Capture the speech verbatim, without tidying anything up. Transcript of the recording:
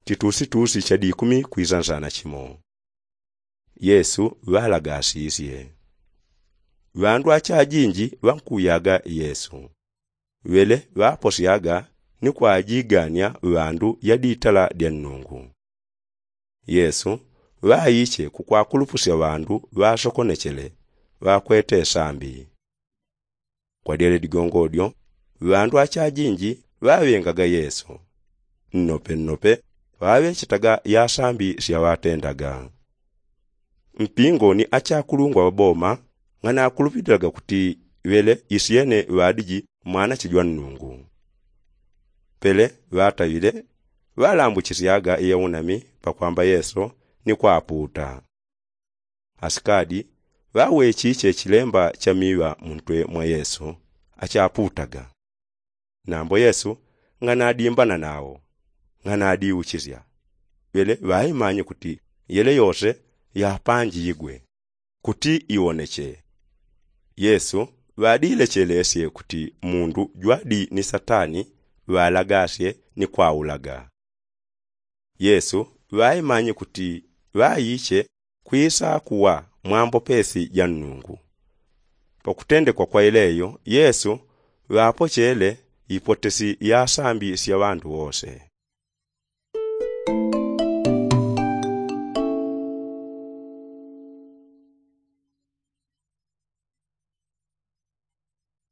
titusitusi cha dikumi kwisa nsana chimo. Yesu ŵalagasisye. Ŵandu achajinji ŵankuyaga yesu. Ŵele ŵaposyaga ni kwajigania ŵandu yadi itala dya nnungu. Yesu ŵaiche kukwakulupusya ŵandu ŵasokonechele ŵakwete sambi. Kwa dyele digongo dyo ŵandu achajinji ŵaŵengaga yesu. Nnope nnope ŵaŵechetaga yasambi syaŵatendaga. Mpingo ni achakulungwa ŵaboma ng'anakulupililaga kuti ŵele isyene ŵadiji mwanache jwa nnungu. Pele ŵataŵile ŵalambwichisyaga iyaunami pakwamba yesu ni kwapuuta. Asikadi ŵawechiche chilemba cha miŵa muntwe mwa yesu achapuutaga. Nambo yesu ng'anadimba na nawo ng'anadiuchisya. Ŵele ŵaimanye kuti yele yose yapanjigwe kuti iwoneche. Yesu ŵadilechelesye kuti mundu jwadi ni satani ŵalagasye ni kwaulaga. Yesu ŵaimanye kuti ŵaiche kwisa kuwa mwambopesi ja nnungu. Pakutendekwa kwa ileyo yesu ŵapochele ipotesi ya sambi sya ŵandu wose.